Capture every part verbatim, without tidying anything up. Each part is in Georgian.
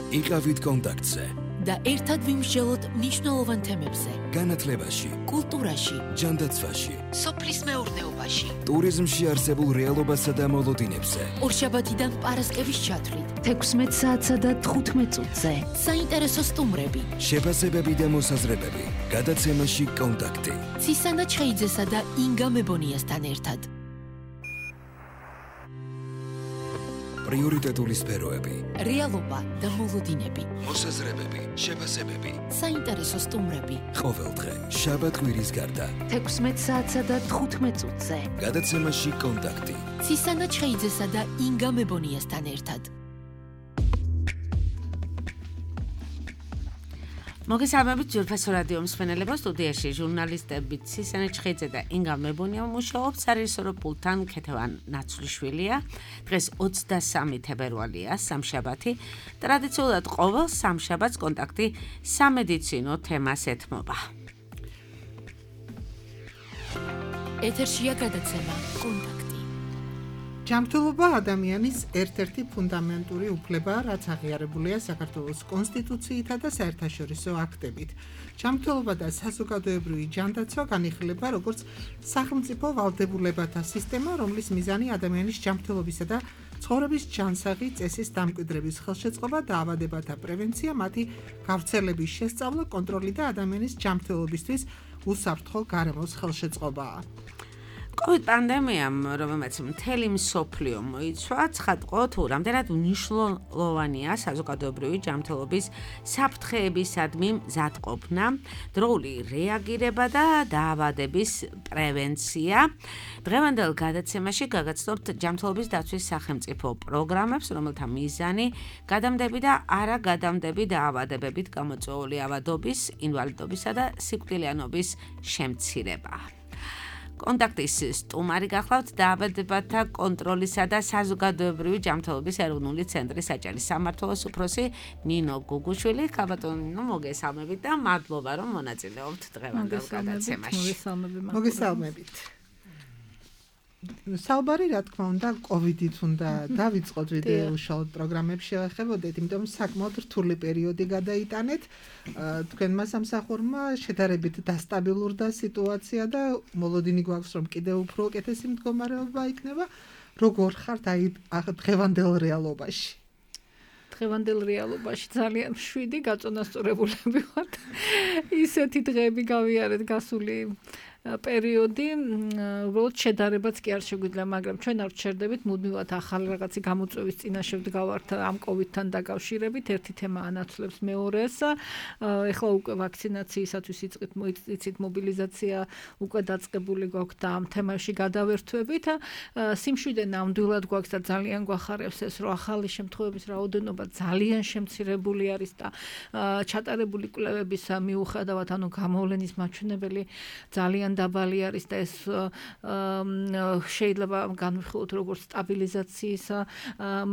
იყავით კონტაქტზე და ერთად ვიმსჯელოთ მნიშვნელოვან თემებზე. განათლებაში, კულტურაში, ჯანდაცვაში, სოფლის მეურნეობაში, ტურიზმში არსებულ რეალობასა და მოლოდინებზე. ორშაბათიდან პარასკევის ჩათვლით, თექვსმეტ საათსა და თხუთმეტ წუთზე. საინტერესო სტუმრები, შეფასებები და მოსაზრებები. გადაცემაში კონტაქტი. ცისანა ჩხეიძესა და ინგა მებონიასთან ერთად. პრიორიტეტული სფეროები. რეალობა და მოლოდინები. მოსაზრებები, შეფასებები. საინტერესო სტუმრები. ყოველდღე, შაბათ-კვირის გარდა. თექვსმეტ საათსა და თხუთმეტ წუთზე. გადაცემაში კონტაქტი. ცისანა ჩხეიძესა და ინგა მებონიასთან ერთად. მოგესალმებით ძვირფასო რადიო მსმენელებო, სტუდიაში ჟურნალისტები ცისანა ჩხეიძე და ინგა მებონია მუშაობთ, სარეჟისორო პულტთან ქეთევან ნაცვლიშვილია. დღეს ოცდასამი თებერვალია, სამშაბათი. ტრადიციულად ყოველ სამშაბათს კონტაქტი სამედიცინო თემას ეთმობა. ეთერშია გადაცემა კონტაქტი. ჯანმრთელობა ადამიანის ერთ-ერთი ფუნდამენტური უფლებაა, რაც აღიარებულია საქართველოს კონსტიტუციითა და საერთაშორისო აქტებით. ჯანმრთელობა და საზოგადოებრივი ჯანდაცვა განიხილება როგორც სახელმწიფო ვალდებულებათა სისტემა, რომლის მიზანი ადამიანის ჯანმრთელობისა და ცხოვრების ჯანსაღი წესის დამკვიდრების ხელშეწყობა, დაავადებათა პრევენცია, მათი გავრცელების შესწავლა, კონტროლი და ადამიანის ჯანმრთელობისთვის უსაფრთხო გარემოს ხელშეწყობაა. COVID პანდემიამ, რომელმაც მთელი მსოფლიო მოიცვა, ცხადყო თუ რამდენად მნიშვნელოვანია საზოგადოებრივი ჯანმრთელობის საფრთხეებისადმი მზადყოფნა, დროული რეაგირება და დაავადების პრევენცია. დღევანდელ გადაცემაში გაგაცნობთ ჯანმრთელობის დაცვის სახელმწიფო პროგრამებს, რომელთა მიზანი გადამდები და არაგადამდები დაავადებებით გამოწვეული ავადობის, ინვალიდობისა და სიკვდილიანობის შემცირებაა. კონტაქტის სტუმარი გახლავთ დაავადებათა კონტროლისა და საზოგადოებრივი ჯანმრთელობის ეროვნული ცენტრის საჭირის სამმართველოს უფროსი ნინო გუგუშვილი. ქაბატონო, მოგესალმებით და მადლობა, რომ მონაწილეობთ დღევანდელ გადაცემაში. მოგესალმებით. საუბარი, რა თქმა უნდა, კოვიდით უნდა დავიწყოთ, ვიდრე უშუალოდ პროგრამებს შევეხებოდეთ, იმიტომ საკმაოდ რთული პერიოდი გადაიტანეთ. თქვენმა სამსახურმა შედარებით დასტაბილურდა სიტუაცია და მოლოდინი გვაქვს, რომ კიდევ უფრო უკეთესი მდგომარეობა იქნება. როგორ ხართ აი დღევანდელ რეალობაში? დღევანდელ რეალობაში ძალიან მშვიდი გაწონასწორებულები ვართ. ისეთი დღეები გავიარეთ გასული პერიოდი, უბრალოდ შედარებაც კი არ შეგვიძლია, მაგრამ ჩვენ არ ვჩერდებით, მუდმივად ახალ რაღაცი გამოწვევის წინაშე ვდგავართ ამ კოვიდთან დაკავშირებით. ერთი თემა ანაცვლებს მეორეს. ეხლა უკვე ვაქცინაციისათვის იცით მობილიზაცია უკვე დაწყებული გვაქვს და ამ თემაში გადავერთვებით. სიმშვიდე ნამდვილად გვაქვს და ძალიან გვახარებს ეს, რომ ახალი შემთხვევების რაოდენობა ძალიან შემცირებული არის და ჩატარებული კვლევების მიუხედავად, ანუ გამოვლენის მაჩვენებელი ძალიან დაბალი არის და ეს შეიძლება განვიხილოთ როგორც სტაბილიზაციის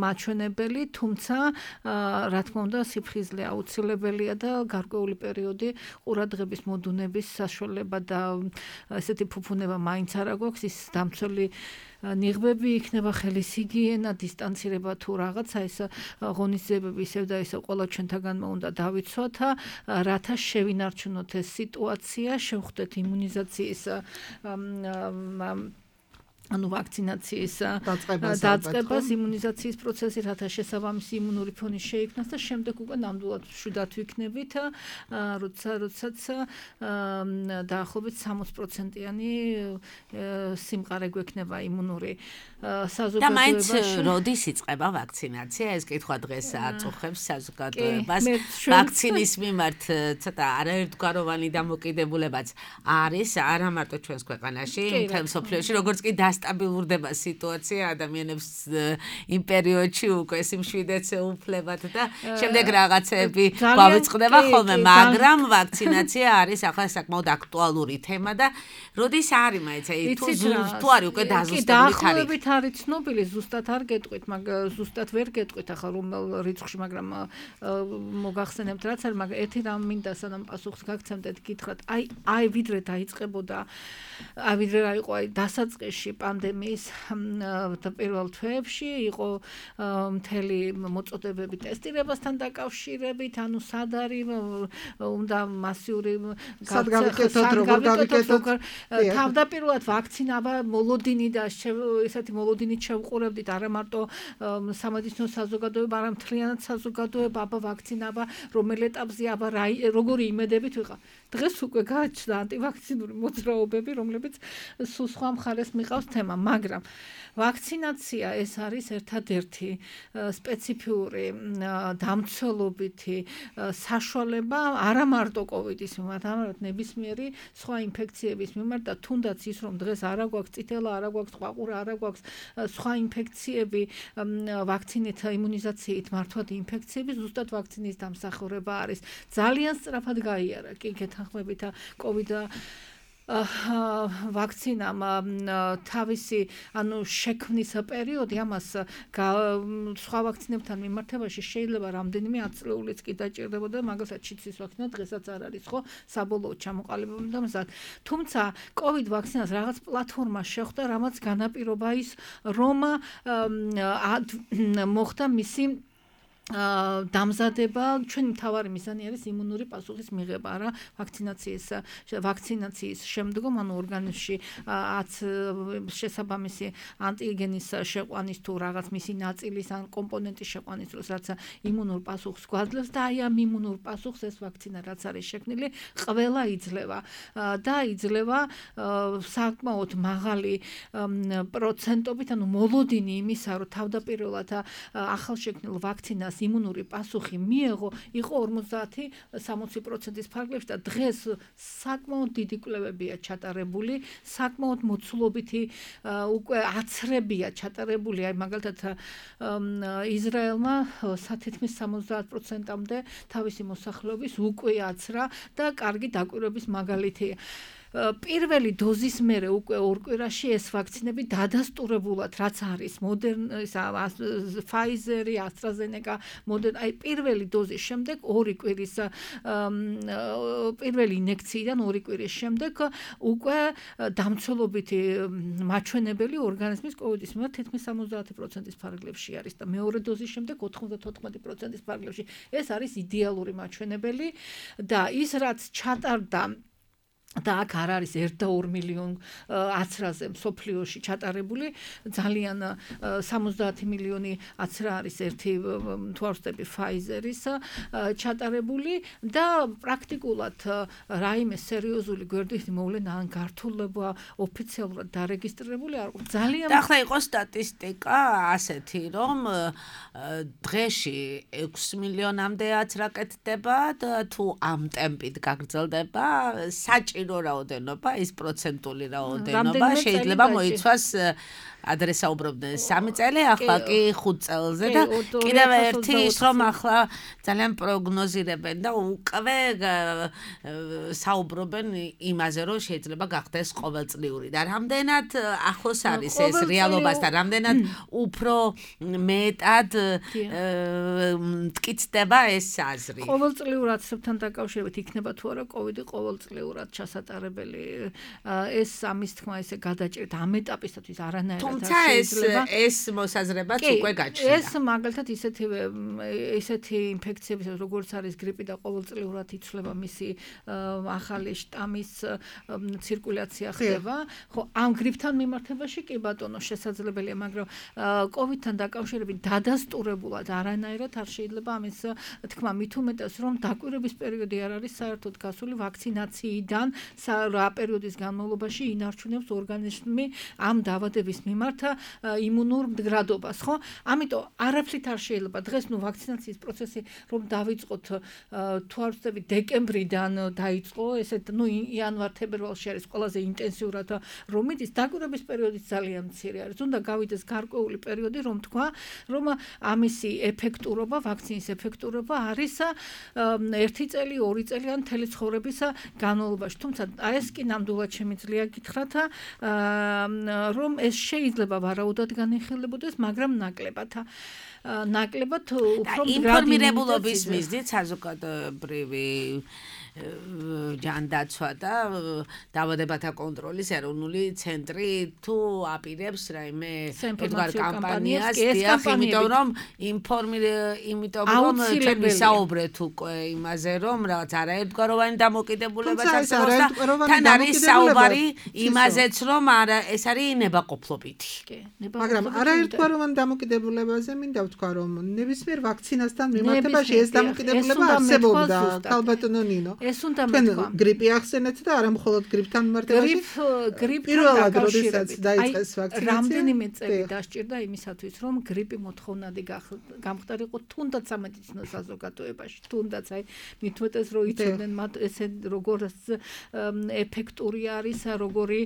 მაჩვენებელი, თუმცა რა თქმა უნდა სიფხიზლე აუცილებელია და გარკვეული პერიოდი ყურადღების მოდუნების საშუალება და ესეთი ფუფუნება მაინც არ აქვს. ის დამცველი ნიღბები იქნება, ხელის ჰიგიენა, დისტანცირება თუ რაღაცა, ეს ღონისძიებები ისევ და ისევ ყველა ჩვენთაგანმა უნდა დავიცვათ, რათა შევინარჩუნოთ ეს სიტუაცია, შევხვდეთ იმუნიზაციის ანუ ვაქცინაციის დაწყებას, იმუნიზაციის პროცესი, რათა შესაბამისი იმუნური ფონი შეიქმნას და შემდეგ უკვე ნამდვილად მშვიდად ვიქნებით, როცა როდესაც დაახლოებით სამოცი პროცენტიანი სიმყარე გვექნება იმუნური საზოგადოებაში. და მაინც როდის იწყება ვაქცინაცია? ეს კითხვა დღეს აწუხებს საზოგადოებას. ვაქცინის მიმართ ცოტა არაერთგვაროვანი დამოკიდებულებაც არის, არა მარტო ჩვენს ქვეყანაში, მთელ მსოფლიოში, როგორც კი სტაბილურდება სიტუაცია ადამიანებს იმ პერიოდში უკვე სიმშვიდეც უფლებათ და შემდეგ რაღაცები გავიწყდება ხოლმე, მაგრამ ვაქცინაცია არის ახლა საკმაოდ აქტუალური თემა და როდის არის მაინც თუ თუ არის უკვე დაზუსტებული თარიღი? არის ცნობილი, ზუსტად არ გეტყვით, მაგრამ ზუსტად ვერ გეტყვით ახლა რომელ რიცხვში, მაგრამ მოგახსენებთ რაც არის, მაგრამ ერთი რამ მინდა სანამ პასუხს გაგცემდეთ, გითხრათ, აი აი ვიდრე დაიწყებოდა, აი ვიდრე რა იყო აი დასაწყისში პანდემიის პირველ თვეებში იყო მთელი მოწოდებები ტესტირებასთან დაკავშირებით, ანუ სად არის უნდა მასიური სად გავიკეთოთ, როგორ გავიკეთოთ. თავდაპირველად ვაქცინა მოლოდინი და ესეთი მოლოდინით შევყურებდით არა მარტო სამედიცინო საზოგადოება, არამედ მთლიანად საზოგადოება, აბა ვაქცინა, რომელ ეტაპზე, აბა როგორი იმედებით ვიყავ. დღეს უკვე გააჩნდა ანტივაქცინური მოძრაობები, რომლებიც სულ სხვა მხარეს მიყავს თემა, მაგრამ ვაქცინაცია ეს არის ერთადერთი სპეციფიური დამცველობითი საშუალება არა მარტო კოვიდის მიმართ, არამედ ნებისმიერი სხვა ინფექციების მიმართ და თუნდაც ის რომ დღეს არა გვაქვს წითელა, არა გვაქვს ყვაყურა, არა გვაქვს სხვა ინფექციები, ვაქცინით იმუნიზაციით მართვადი ინფექციები ზუსტად ვაქცინის დამსახურება არის. ძალიან სწრაფად გაიარა კი გეთანხმებით კოვიდა ვაქცინამ თავისი ანუ შექმნის პერიოდი ამას სხვა ვაქცინებთან მიმართებაში შეიძლება რამდენიმე ათწლეულიც კი დაჭირდებოდა, მაგალითად შიცის ვაქცინა დღესაც არ არის ხო საბოლოოდ ჩამოყალიბებული და მზად. თუმცა კოვიდ ვაქცინას რაღაც პლატფორმა შეხვდა, რამაც განაპირობა ის რომ მოხდა მისი დამზადება, ჩვენი მთავარი მიზანი არის იმუნური პასუხის მიღება რა ვაქცინაციის ვაქცინაციის შემდგომ, ანუ ორგანიზმში შესაბამისი ანტიგენის შეყვანის თუ რაღაც მისი ნაწილის ან კომპონენტის შეყვანის დროს, რაც იმუნურ პასუხს გვაძლევს და აი ამ იმუნურ პასუხს ეს ვაქცინა რაც არის შექმნილი, ყველა იძლევა და იძლევა საკმაოდ მაღალი პროცენტობით, ანუ მოლოდინი იმისა, რომ თავდაპირველად ახალშექმნილ ვაქცინას იმუნური პასუხი მიეღო, იყო ორმოცდაათი სამოცი პროცენტის ფარგლებში და დღეს საკმაოდ დიდი კვლევებია ჩატარებული, საკმაოდ მოცულობითი უკვე აცრებია ჩატარებული, აი მაგალითად ისრაელმა თითქმის სამოცდაათ პროცენტამდე თავისი მოსახლეობის უკვე აცრა და კარგი დაკვირვების მაგალითია. პირველი დოზის მერე უკვე ორ კვირაში ეს ვაქცინები დადასტურებულად რაც არის მოდერნ ფაიზერი, ასტრაზენეკა, მოდერნ აი პირველი დოზის შემდეგ ორი კვირის პირველი ინექციიდან ორი კვირის შემდეგ უკვე დამცველობითი მაჩვენებელი ორგანიზმის კოვიდის მიმართ თითქმის სამოცდაათი პროცენტის ფარგლებში არის და მეორე დოზის შემდეგ ოთხმოცდათოთხმეტი პროცენტის ფარგლებში. ეს არის იდეალური მაჩვენებელი და ის რაც ჩატარდა და აქ არ არის ერთ და ორ მილიონ აცრაზე მსოფლიოში ჩატარებული, ძალიან სამოცდაათი მილიონი აცრა არის ერთი თუ არ ვცდები ფაიზერის ჩატარებული და პრაქტიკულად რაიმე სერიოზული გვერდითი მოვლენა ან გართულება ოფიციალურად დარეგისტრირებული არ ყო. ძალიან და ახლა იყო სტატისტიკა ასეთი, რომ დღეში ექვსი მილიონამდე აცრა კეთდება და თუ ამ ტემპით გაგრძელდება, საჭირო რაოდენობა, ის პროცენტული რაოდენობა შეიძლება მოიცვას ადრე საუბრობდნენ სამი წელი, ახლა კი ხუთ წელზე და კიდევ ერთი ის რომ ახლა ძალიან პროგნოზირებენ და უკვე საუბრობენ იმაზე, რომ შეიძლება გახდეს ყოველწლიური და რამდენად ახლოს არის ეს რეალობასთან, რამდენად უფრო მეტად მტკიცდება ეს აზრი. ყოველწლიურ აცრებთან დაკავშირებით იქნება თუ არა კოვიდი ყოველწლიურად ჩასატარებელი, ეს ამის თქმა ესე გადაჭირეთ ამ ეტაპისათვის არანაირად თუმცა ეს ეს მოსაზრებაც უკვე გაჩნდა. ეს მაგალითად ისეთივე ისეთი ინფექციების როგორც არის გრიპი და ყოველწლიურად იცვლება მისი ახალი შტამის ცირკულაცია ხდება. ხო, ამ გრიპთან მიმართებაში კი ბატონო შესაძლებელია, მაგრამ კოვიდთან დაკავშირებით დადასტურებულად არანაირად არ შეიძლება ამის თქმა, მით უმეტეს რომ დაკვირვების პერიოდი არ არის საერთოდ გასული ვაქცინაციიდან რა პერიოდის განმავლობაში ინარჩუნებს ორგანიზმი ამ დაავადების მიმართ იმუნურ მდგრადობას, ხო? ამიტომ არაფრით არ შეიძლება დღეს ნუ ვაქცინაციის პროცესი რომ დავიწყოთ თუ არ ვცდები დეკემბრიდან დაიწყო, ესეთ ნუ იანვარ-თებერვალში არის ყველაზე ინტენსიურად რომ მიდის, დაკვირვების პერიოდი ძალიან მცირე არის. უნდა გავიდეს გარკვეული პერიოდი რომ თქვა, რომ ამისი ეფექტურობა, ვაქცინის ეფექტურობა არის ერთი წელი, ორი წელი ან მთელი ცხოვრების განმავლობაში. თუმცა ეს კი ნამდვილად შემიძლია გითხრათ, რომ ეს შეიძლება ვარაუდად განიხილებოდეს, მაგრამ ნაკლებად ნაკლებად უფრო ინფორმირებულობის მიზნით საზოგადოებრივი ჯანდაცვა და დაავადებათა კონტროლის ეროვნული ცენტრი თუ აპირებს რაიმე ერთგვარ კამპანიას, დიახ, იმიტომ რომ ინფორმირ იმიტომ რომ ჩვენ ვისაუბრეთ უკვე იმაზე რომ რაღაც არაერთგვაროვანი დამოკიდებულებას არსებობს და თან არის საუბარი იმაზეც რომ არა ეს არის ნებაყოფლობითი. მაგრამ არაერთგვაროვანი დამოკიდებულებაზე მინდა ვთქვა რომ ნებისმიერ ვაქცინასთან მიმართებაში ეს დამოკიდებულება არსებობდა ქალბატონო ნინო. ეს უნდა მეთქვა. გრიპი ახსენეთ და არა მხოლოდ გრიპთან მიმართებაში. პირველად როდესაც დაიწყეს ვაქცინაცია. რამდენიმე წელი დასჭირდა იმისათვის რომ გრიპი მოთხოვნადი გამხდარიყო თუნდაც სამედიცინო საზოგადოებაში, თუნდაც აი მithumetes რო იცოდნენ მათ ესე როგორ ეფექტური არის, როგორი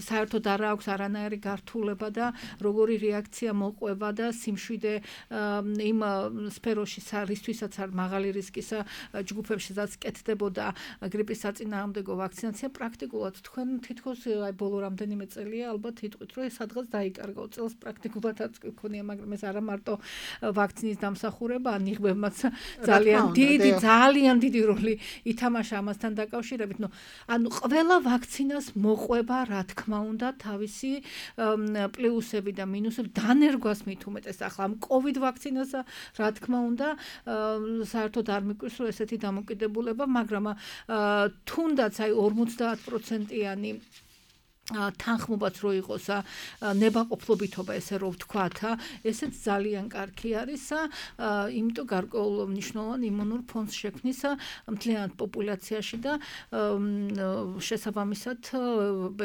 საერთოდ არ აქვს არანაირი გართულება და როგორი რეაქცია მოყვება და სიმშვიდე იმ სფეროში რისთვისაც არ მაღალი რისკის ჯგუფებშიც კეთდებოდა გრიპის საწინააღმდეგო ვაქცინაცია პრაქტიკულად თქვენ თითქოს აი ბოლო რამდენიმე წელია ალბათ იტყვით რომ სადღაც დაიკარგა წელს პრაქტიკულადაც გქონია მაგრამ ეს არა მარტო ვაქცინის დამსახურება ანიღბებმაც ძალიან დიდი ძალიან დიდი როლი ითამაშა ამასთან დაკავშირებით ნუ ანუ ყველა ვაქცინას მოყვება რა თქმა უნდა თავისი პლუსები და მინუსები დანერგვას მithumetes ახლა ამ COVID ვაქცინას რა თქმა უნდა საერთოდ არ მიკვირს რომ ესეთი დამოკიდებულება მაგრამ თუნდაც აი ორმოცდაათ პროცენტიანი თანხმობაც რო იყოს ნებაყოფლობითობა ესე რომ ვთქვათ ესეც ძალიან კარგი არის იმიტომ გარკვეულ მნიშვნელოვან იმუნურ ფონს შექმნის მთლიანად პოპულაციაში და შესაბამისად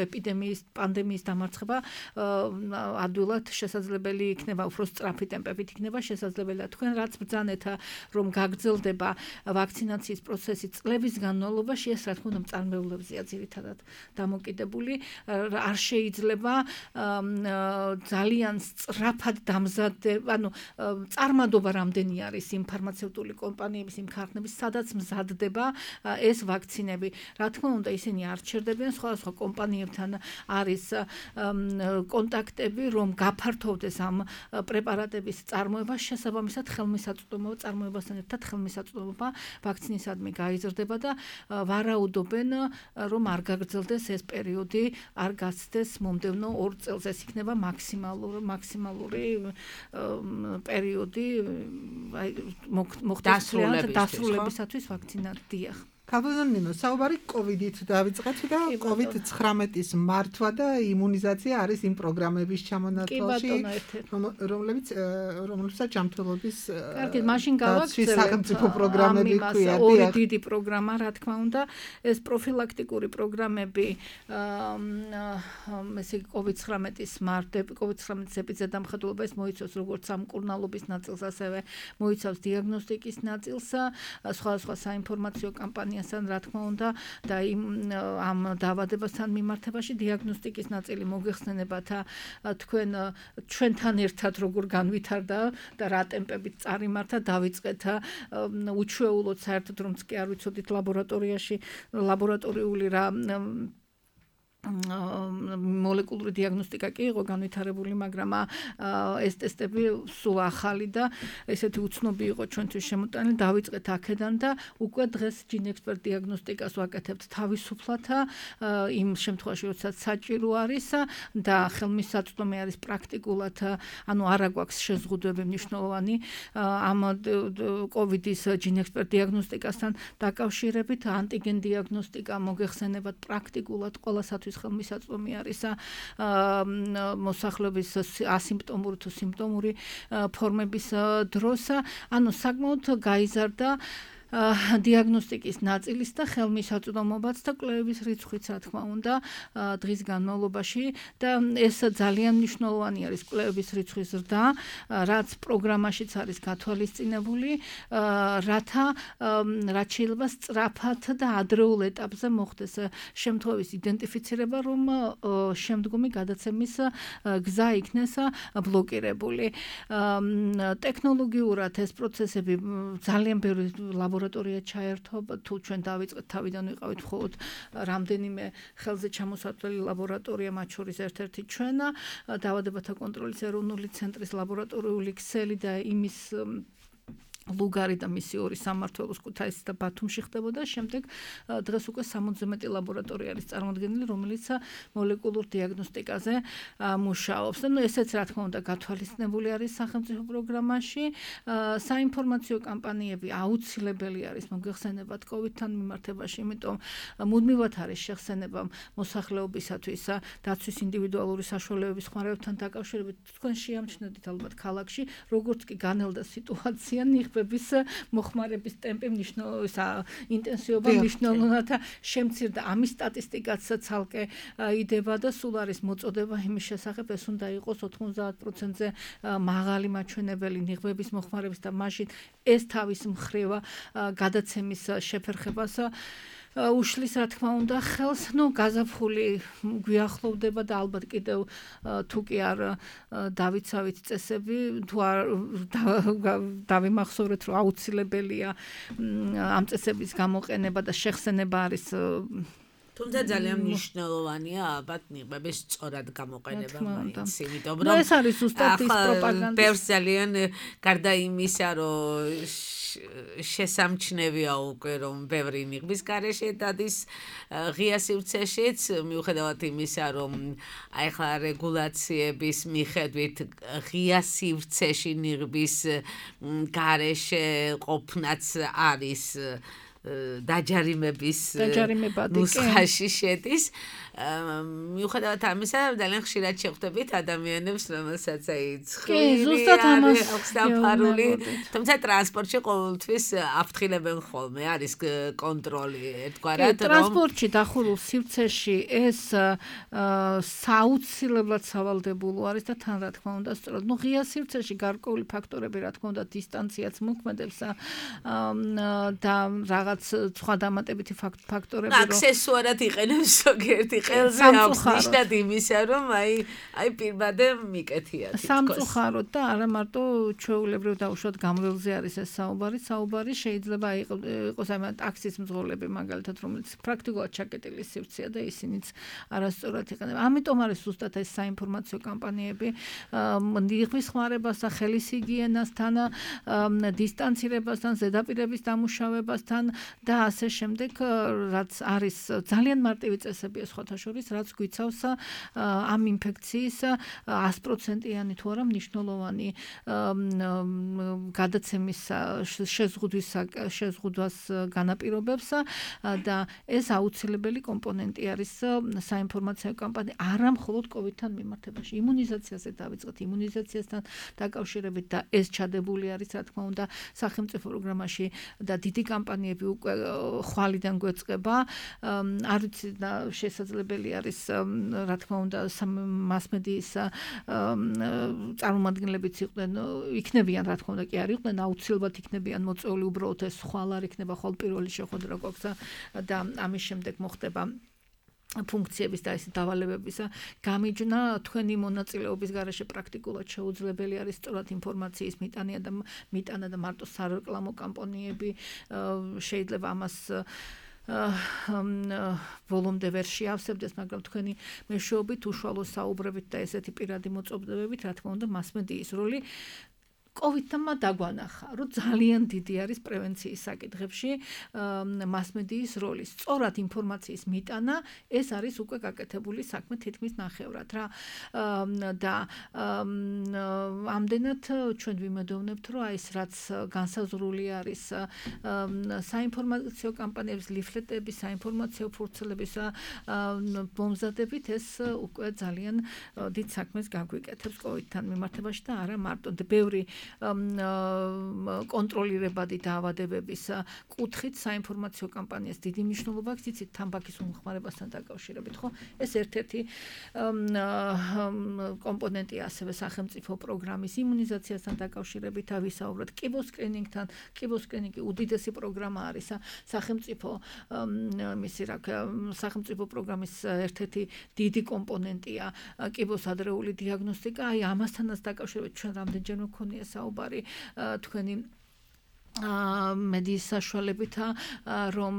ეპიდემიის პანდემიის დამარცხება ადვილად შესაძლებელი იქნება უფრო სწრაფი ტემპებით იქნება შესაძლებელია თქვენ რაც ბრძანეთ რომ გაგრძელდება ვაქცინაციის პროცესი წლების განმავლობაში ეს რა თქმა უნდა მწარმოებლებზეა ძირითადად დამოკიდებული არ შეიძლება ძალიან სწრაფად დამზადება, ანუ წარმადობა რამდენი არის იმ ფარმაცევტული კომპანიების, იმ ქარხნების, სადაც მზადდება ეს ვაქცინები. რა თქმა უნდა, ისინი არ ჩერდებიან, სხვადასხვა კომპანიებთან არის კონტაქტები, რომ გაფართოვდეს ამ პრეპარატების წარმოება, შესაბამისად ხელმისაწვდომობა წარმოებასთან ერთად ხელმისაწვდომობა ვაქცინისადმი გაიზრდება და ვარაუდობენ, რომ არ გაგრძელდეს ეს პერიოდი არ გასცდეს მომდევნო ორ წელს ეს იქნება მაქსიმალური მაქსიმალური პერიოდი აი მოხდეს დასრულებისათვის ვაქცინაცია. ქალბატონო საუბარი COVID-ით დავიწყეთ და COVID ცხრამეტის მართვა და იმუნიზაცია არის იმ პროგრამების ჩამონათვალში რომლებიც რომლებსაც ჯანმრთელობის კარგი მაშინ გავაგრძელებ სახელმწიფო პროგრამები ქვია ორი დიდი პროგრამა რა თქმა უნდა ეს პროფილაქტიკური პროგრამები ესე COVID ცხრამეტის მართვები COVID ცხრამეტის ეპიდემიოლოგიურ ეს მოიცავს როგორც სამკურნალობის ნაწილს ასევე მოიცავს დიაგნოსტიკის ნაწილს სხვადასხვა საინფორმაციო კამპანიასთან რა თქმა უნდა და იმ ამ დაავადებასთან მიმართებაში დიაგნოსტიკის ნაწილი მოგეხსენებათ თქვენ ჩვენთან ერთად როგორ განვითარდა და რა ტემპებით წარიმართა დავიწყეთ უჩვეულოდ საერთოდ რომც კი არ ვიცოდით ლაბორატორიაში ლაბორატორიული რა მოლეკულური დიაგნოსტიკა კი იყო განვითარებული, მაგრამ ეს ტესტები სულ ახალი და ესეთი უცნობი იყო ჩვენთვის შემოტანილი. დავიწყეთ აქედან და უკვე დღეს ჯინექსპერტ დიაგნოსტიკას ვაკეთებთ თავისუფლად იმ შემთხვევაში, როდესაც საჭირო არის და ხელმისაწვდომი არის პრაქტიკულად, ანუ არა გვაქვს შეზღუდვები მნიშვნელოვანი ამ COVID-ის ჯინექსპერტ დიაგნოსტიკასთან დაკავშირებით, ანტიგენ დიაგნოსტიკა მოგეხსენებათ პრაქტიკულად ყველასათვის ხელმისაწვდომი არის მოსახლეობის ასიმპტომური თუ სიმპტომური ფორმების დროს, ანუ საკმაოდ გაიზარდა დიაგნოსტიკის ნაწილის და ხელმისაწვდომობაც და კვლევების რიცხვიც რა თქმა უნდა დღის განმავლობაში და ეს ძალიან მნიშვნელოვანი არის კვლევების რიცხვის ზრდა, რაც პროგრამაშიც არის გათვალისწინებული, რათა რაც შეიძლება სწრაფად და ადრეულ ეტაპზე მოხდეს შემთხვევის იდენტიფიცირება, რომ შემდგომი გადაცემის გზა იქნეს ბლოკირებული. ტექნოლოგიურად ეს პროცესები ძალიან ბევრი ლაბორატორია ჩაერთო, თუ ჩვენ დავიწყეთ თავიდან ვიყავით მხოლოდ რამდენიმე ხელზე ჩამოსათვლელი ლაბორატორია, მათ შორის ერთ-ერთი ჩვენა, დაავადებათა კონტროლის ეროვნული ცენტრის ლაბორატორიული ქსელი და იმის ლუგარი და მისი ორი სამმართველოს ქუთაისსა და ბათუმში ხდებოდა. შემდეგ დღეს უკვე სამოცზე მეტი ლაბორატორია არის წარმოდგენილი, რომელიც მოლეკულურ დიაგნოსტიკაზე მუშაობს. და ნუ ესეც რა თქმა უნდა გათვალისწინებული არის სახელმწიფო პროგრამაში. საინფორმაციო კამპანიები აუცილებელი არის მოგვიხსენებათ კოვიდთან მიმართებაში, იმიტომ მუდმივად არის შეხსენება მოსახლეობისათვის დაცვის ინდივიდუალური საშუალებების ხმარებთან დაკავშირებით. თქვენ შეამჩნევთ ალბათ ქალაქში, როგორც კი განელდა სიტუაცია, ნიღბების მოხმარების ტემპი მნიშვნელოვანი ინტენსივობა მნიშვნელოვნად შემცირდა. ამის სტატისტიკაც ცალკე იდება და სულ არის მოწოდება იმის შესახებ, ეს უნდა იყოს ოთხმოცდაათ პროცენტზე მაღალი მაჩვენებელი ნიღბების მოხმარების და მაშინ ეს თავის მხრივ გადაცემის შეფერხებას უშლის რა თქმა უნდა ხელს. ნუ გაზაფხული გვიახლოვდება და ალბათ კიდევ თუ კი არ დავიცავით წესები, თუ არ დავიმახსოვრეთ რომ აუცილებელია ამ წესების გამოყენება და შეხსენება არის თუმცა ძალიან მნიშვნელოვანია ალბათ ნიღბების სწორად გამოყენება მაინც, იმიტომ რომ ეს არის ზუსტად ის პროპაგანდა. ბევრს ძალიან გარდა იმისა, რომ შესამჩნევია უკვე რომ ბევრი ნიღბის გარეშე დადის ღია სივრცეშიც, მიუხედავად იმისა, რომ აი ხა რეგულაციების მიხედვით ღია სივრცეში ნიღბის გარეშე ყოფნაც არის დაჯარიმების ნუსხაში შედის. მიუხედავად ამისა, ძალიან ხშირად შეხვდებით ადამიანებს, რომელსაც აი ცხვირი აქვს დაფარული, თუმცა ტრანსპორტში ყოველთვის აფრთხილებენ ხოლმე, არის კონტროლი ერთგვარად, რომ ტრანსპორტში დახურულ სივრცეში ეს საუცილებლად სავალდებულო არის და თან რა თქმა უნდა, სწორად, ნუ ღია სივრცეში გარკვეული ფაქტორები, რა თქმა უნდა, დისტანციაც მოქმედებს და რაღაც სხვა დამატებითი ფაქტორები, რომ აქსესუარად იყენებს ზოგიერთი ხელზე აქვს ნიშნად იმისა, რომ აი აი პირბადე მიკეთია თითქოს. სამწუხაროდ და არა მარტო ჩვეულებრივ დაუშვათ გამრავლზე არის ეს საუბარი, საუბარი შეიძლება იყოს აი ტაქსის მძღოლები მაგალითად, რომელიც პრაქტიკულად ჩაკეტილი სივრცეა და ისინიც არასწორად იყენებენ. ამიტომ არის ზუსტად ეს საინფორმაციო კამპანიები ნიღბის ხმარებასთან, ხელის ჰიგიენასთან, დისტანცირებასთან, ზედაპირების დამუშავებასთან და ასე შემდეგ, რაც არის ძალიან მარტივი წესებია სხვათა შორის, რაც გვიცავს ამ ინფექციის ას პროცენტიანი თუ არა მნიშვნელოვანი გადაცემის შეზღუდვის შეზღუდვას განაპირობებს და ეს აუცილებელი კომპონენტი არის საინფორმაციო კამპანია არა მხოლოდ კოვიდთან მიმართებაში, იმუნიზაციაზე დავიწყეთ, იმუნიზაციასთან დაკავშირებით და ეს ჩადებული არის რა თქმა უნდა სახელმწიფო პროგრამაში და დიდი კამპანიები უკვე ხვალიდან გვეწყება. არ ვიცი და შესაძლებელი არის რა თქმა უნდა მასმედიის წარმომადგენლებიც იყვნენ, იქნებიან რა თქმა უნდა კი არ იყვნენ, აუცილებლად იქნებიან მოწვეული, უბრალოდ ეს ხვალ არ იქნება, ხვალ პირველი შეხვედრა გვაქვს და ამის შემდეგ მოხდება ფუნქციების და ეს დავალებების გამიჯნა თქვენი მონაწილეობის გარეშე პრაქტიკულად შეუძლებელი არის სწორად ინფორმაციის მიტანა და მიტანა და მარტო სარეკლამო კამპანიები შეიძლება ამას ბოლომდე ვერ შეავსებდეს, მაგრამ თქვენი მეშვეობით, უშუალო საუბრებით და ესეთი პირადი მოწოდებებით, რა თქმა უნდა, მასმედიის როლი კოვიდმა დაგვანახა, რომ ძალიან დიდი არის პრევენციის საკითხებში მასმედიის როლი. სწორად ინფორმაციის მიტანა ეს არის უკვე გაკეთებული საქმე თითქმის ნახევრად რა. და ამდენად ჩვენ ვიმედოვნებთ, რომ აი ეს რაც განსაზღვრული არის საინფორმაციო კამპანიების, ლიფლეტების, საინფორმაციო ფურცლების მომზადებით, ეს უკვე ძალიან დიდ საქმეს გაგვიკეთებს კოვიდთან მიმართებაში და არა მარტო ბევრი კონტროლირებადი დაავადებების კუთხით საინფორმაციო კამპანიას დიდი მნიშვნელობა აქვს, იცით, თამბაქის უმხმარებასთან დაკავშირებით, ხო? ეს ერთ-ერთი კომპონენტია ასევე სახელმწიფო პროგრამის იმუნიზაციასთან დაკავშირებით, ვისაუბრეთ კიბოს სკრინინგთან. კიბოს სკრინინგი უდიდესი პროგრამა არის სახელმწიფო მისი რა სახელმწიფო პროგრამის ერთ-ერთი დიდი კომპონენტია კიბოს ადრეული დიაგნოსტიკა. აი ამასთანაც დაკავშირებით ჩვენ რამდენჯერმე გვქონია საუბარი თქვენი მედიის საშუალებით რომ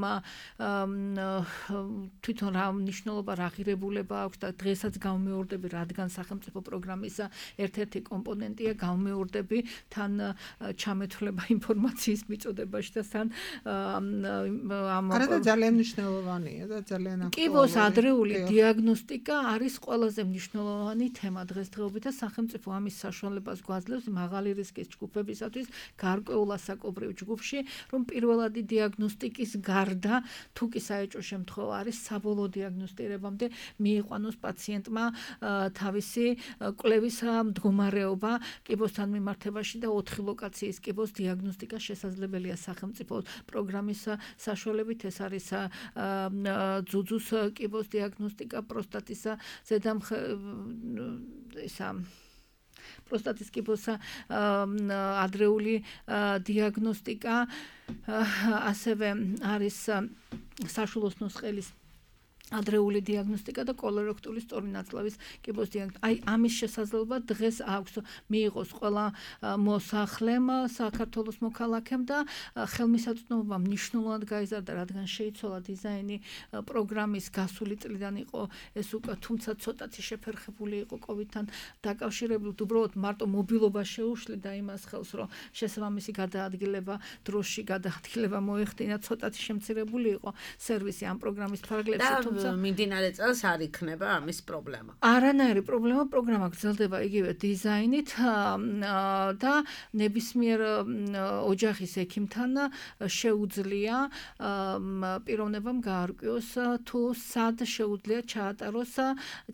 თვითონ რა მნიშვნელობა რა ღირებულება აქვს და დღესაც გამეორდები რადგან სახელმწიფო პროგრამის ერთ-ერთი კომპონენტია გამეორდები თან ჩამეთვლება ინფორმაციის მიწოდებაში და თან ამ არა და ძალიან მნიშვნელოვანია და ძალიან აქტუალური. კიბოს ადრეული დიაგნოსტიკა არის ყველაზე მნიშვნელოვანი თემა დღესდღეობით და სახელმწიფო ამის საშუალებას გვაძლევს მაღალი რისკის ჯგუფებისათვის გარკვეულ ასაკობრივ ჯგუფში, რომ პირველადი დიაგნოსტიკის გარდა თუ კი საეჭვო შემთხვევა არის საბოლოო დიაგნოსტირებამდე მიიყვანოს პაციენტმა თავისი კვლევის მდგომარეობა კიბოსთან მიმართებაში და ოთხი ლოკაციის კიბოს დიაგნოსტიკა შესაძლებელია სახელმწიფო პროგრამის საშუალებით. ეს არის ძუძუს კიბოს დიაგნოსტიკა, პროსტატის ზედამხედ ისა პროსტატის კიბოს ადრეული დიაგნოსტიკა, ასევე არის საშულოს ნუსხელის ადრეული დიაგნოსტიკა და კოლორექტული სწორი ნაწლავის კიბოს დიაგნოსტიკა. აი ამის შესაძლებლობა დღეს აქვს მიიღოს ყველა მოსახლემ საქართველოს მოქალაქემ და ხელმისაწვდომობა მნიშვნელოვნად გაიზარდა, რადგან შეიცვალა დიზაინი პროგრამის გასული წლიდან იყო ეს უკვე, თუმცა ცოტათი შეფერხებული იყო კოვიდთან დაკავშირებით, უბრალოდ მარტო მობილობა შეუშლიდა იმას ხელს, რომ შესაბამისი გადაადგილება დროში გადაადგილება მოეხდინა, ცოტათი შემცირებული იყო სერვისი ამ პროგრამის ფარგლებში. მიმდინარე წელს არ იქნება ამის პრობლემა. არანაირი პრობლემა, პროგრამა გრძელდება იგივე დიზაინით და ნებისმიერ ოჯახის ექიმთან შეუძლია პიროვნებამ გაარკვიოს თუ სად შეუძლია ჩაატაროს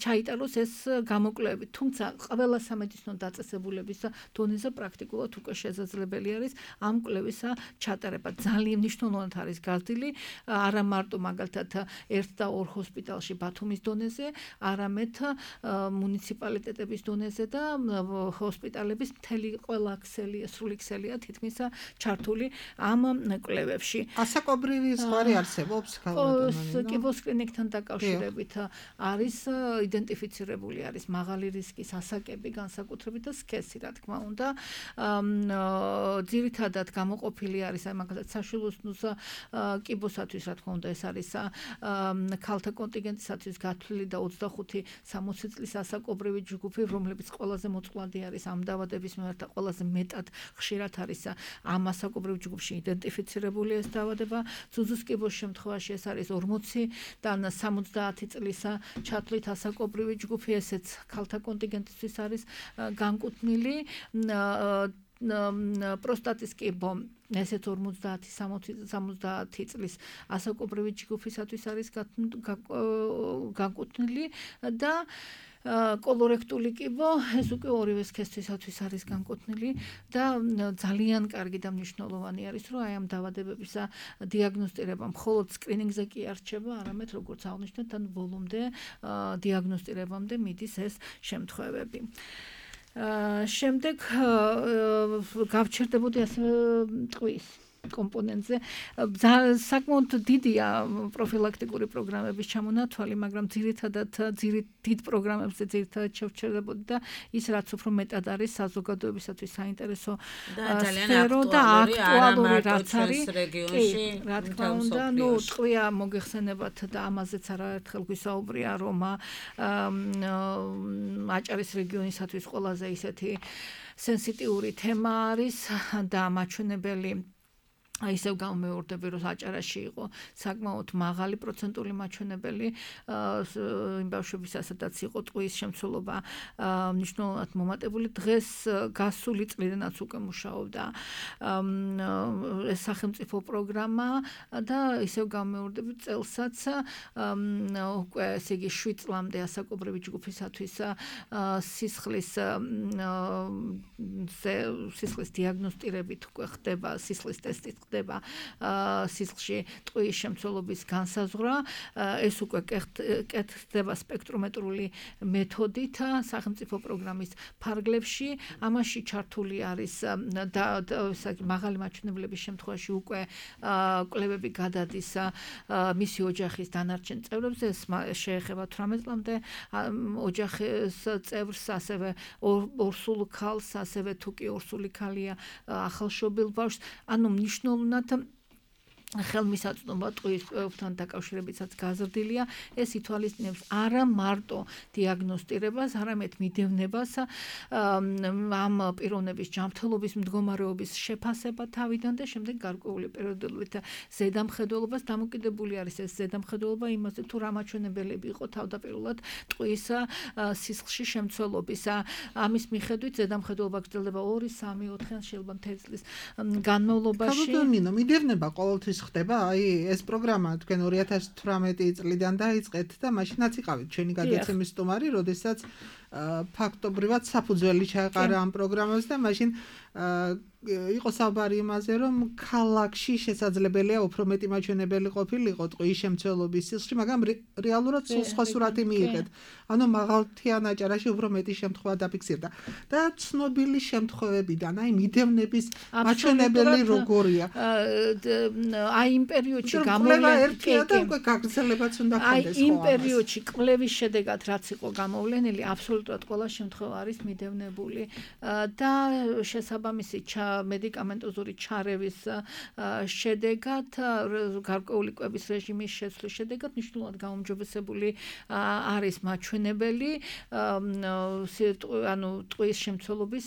ჩაიტაროს ეს გამოკვლევები. თუმცა ყველა სამედიცინო დაწესებულების დონეზე პრაქტიკულად უკვე შესაძლებელი არის ამ კვლევის ჩატარება. ძალიან მნიშვნელოვნად არის გაზრდილი არა მარტო მაგალითად ერთ და ორ ჰოსპიტალში ბათუმის დონეზე, არამედ მუნიციპალიტეტების დონეზე და ჰოსპიტალების მთელი ყველა ქსელი, სრული ქსელია თითქმის ჩართული ამ კვლევებში. ასაკობრივი ზღვარი არსებობს ქალბატონო? კიბოს კლინიკთან დაკავშირებით არის იდენტიფიცირებული არის მაღალი რისკის ასაკები, განსაკუთრებით და სქესი, რა თქმა უნდა. ძირითადად გამოყოფილი არის აი მაგალითად საშვილოს კიბოსათვის, რა თქმა უნდა, ეს არის ქალთა კონტინგენტისათვის გათვლილი და ოცდახუთი სამოცი წლის ასაკობრივი ჯგუფი, რომლებიც ყველაზე მოწყვლადი არის ამ დაავადების მიმართ და ყველაზე მეტად ხშირად არის ამ ასაკობრივ ჯგუფში იდენტიფიცირებული ეს დაავადება. ძუძუს კიბოს შემთხვევაში ეს არის ორმოციდან სამოცდაათი წლის ჩათვლით ასაკობრივი ჯგუფი, ესეც ქალთა კონტინგენტისთვის არის განკუთვნილი. პროსტატის კიბო ესეც ორმოცდაათი სამოცდაათი წლის ასაკობრივი ჯგუფისათვის არის განკუთვნილი და კოლორექტული კიბო ეს უკვე ორივე სქესისათვის არის განკუთვნილი და ძალიან კარგი და მნიშვნელოვანი არის, რომ აი ამ დაავადებების დიაგნოსტირება მხოლოდ სკრინინგზე კი არ რჩება, არამედ როგორც აღნიშნეთ, თან ბოლომდე დიაგნოსტირებამდე მიდის ეს შემთხვევები. შემდეგ გავჩერდებოდი ასევე ტყვის კომპონენტზე. საკმაოდ დიდია პროფილაქტიკური პროგრამების ჩამონათვალი, მაგრამ ძირითადად დიდ პროგრამებზე ძირითადად შევჩერდებოდი და ის რაც უფრო მეტად არის საზოგადოებისათვის საინტერესო სფერო და აქტუალური რაც არის რეგიონში, რა თქმა უნდა, ნუ ტყვია მოგეხსენებათ და ამაზეც არაერთხელ გვისაუბრია, რომ აჭარის რეგიონისათვის ყველაზე ისეთი სენსიტიური თემა არის და მაჩვენებელი ისევ გამეორდები, რომ აჭარაში იყო საკმაოდ მაღალი პროცენტული მაჩვენებელი იმ ბავშვებისა, სადაც იყო ტყვის შემცველობა მნიშვნელოვნად მომატებული. დღეს გასული წლიდანაც უკვე მუშაობდა ეს სახელმწიფო პროგრამა და ისევ გამეორდები წელსაც უკვე ესე იგი შვიდ წლამდე ასაკობრივი ჯგუფისათვის სისხლის სისხლის დიაგნოსტირებით უკვე ხდება სისხლის ტესტით ხდება სისხლში ტყუის შემცველობის განსაზღვრა. ეს უკვე კეთდება სპექტრომეტრული მეთოდით სახელმწიფო პროგრამის ფარგლებში. ამაში ჩართული არის მაღალი მაჩვენებლების შემთხვევაში უკვე კვლევები გადადის მისი ოჯახის დანარჩენ წევრებზე. ეს შეეხება თვრამეტ წლამდე ოჯახის წევრს, ასევე ორსულ ქალს, ასევე თუ კი ორსული ქალია ახალშობილ ბავშვს. ანუ მნიშვნელოვნად ხელმისაწვდომობა ტყუისთან დაკავშირებითაც გაზრდილია. ეს ითვალისწინებს არა მარტო დიაგნოსტირებას, არამედ მიდევნებას ამ პიროვნების ჯანმრთელობის მდგომარეობის შეფასება თავიდან და შემდეგ გარკვეული პერიოდულით ზედამხედველობას. დამოკიდებული არის ეს ზედამხედველობა იმაზე, თუ რა მაჩვენებელები იყო თავდაპირველად ტყუის სისხლში შემცველობის. ამის მიხედვით ზედამხედველობა გრძელდება ორი, სამი, ოთხი ან შეიძლება მთელი წლის განმავლობაში. კაბუტონინო, მიდევნება ყოველთვის ხდება, აი ეს პროგრამა თქვენ ორი ათას თვრამეტი წლიდან დაიწყეთ და მაშინაც იყავით ჩვენი გადაცემის სტუმარი, როდესაც ფაქტობრივად საფუძველი ჩაეყარა ამ პროგრამას და მაშინ იყო საუბარი იმაზე, რომ ქალაქში შესაძლებელია უფრო მეტი მაჩვენებელი ყოფილიყო ტყუის შემცველობის სისხლში, მაგრამ რეალურად სულ სხვა სურათი მიიღეთ. ანუ მაღალმთიან აჭარაში უფრო მეტი შემთხვევა დაფიქსირდა. და ცნობილი შემთხვევებიდან, აი მიდევნების მაჩვენებელი როგორია? აი იმ პერიოდში გამოვლენილი და უკვე გაგრძელებაც უნდა აი ხდეს. იმ პერიოდში კვლევის შედეგად რაც იყო გამოვლენილი, აბსოლუტურად ყველა შემთხვევა არის მიდევნებული და შესაბამისი მედიკამენტოზური ჩარევის შედეგად, გარკვეული კვების რეჟიმის შეცვლის შედეგად მნიშვნელოვნად გაუმჯობესებული არის მაჩვენებელი ანუ ტყუის შემცველობის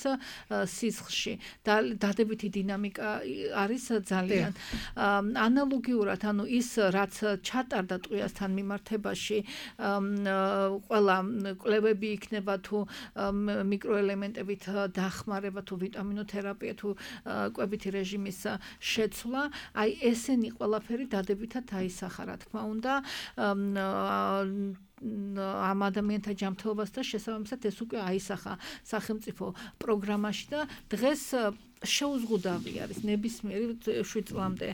სისხლში. დადებითი დინამიკა არის ძალიან. ანალოგიურად, ანუ ის რაც ჩატარდა ტყუიასთან მიმართებაში, ყველა კვლევები იქნება თუ მიკროელემენტებით დახმარება, თუ ვიტამინოთერაპია, თუ კვებითი რეჟიმის შეცვლა, აი ესენი ყველაფერი დადებითად აისახა, რა თქმა უნდა, ამ ადამიანთა ჯანმრთელობას და შესაბამისად ეს უკვე აისახა სახელმწიფო პროგრამაში და დღეს შეუზღუდავი არის ნებისმიერი შვიდ წლამდე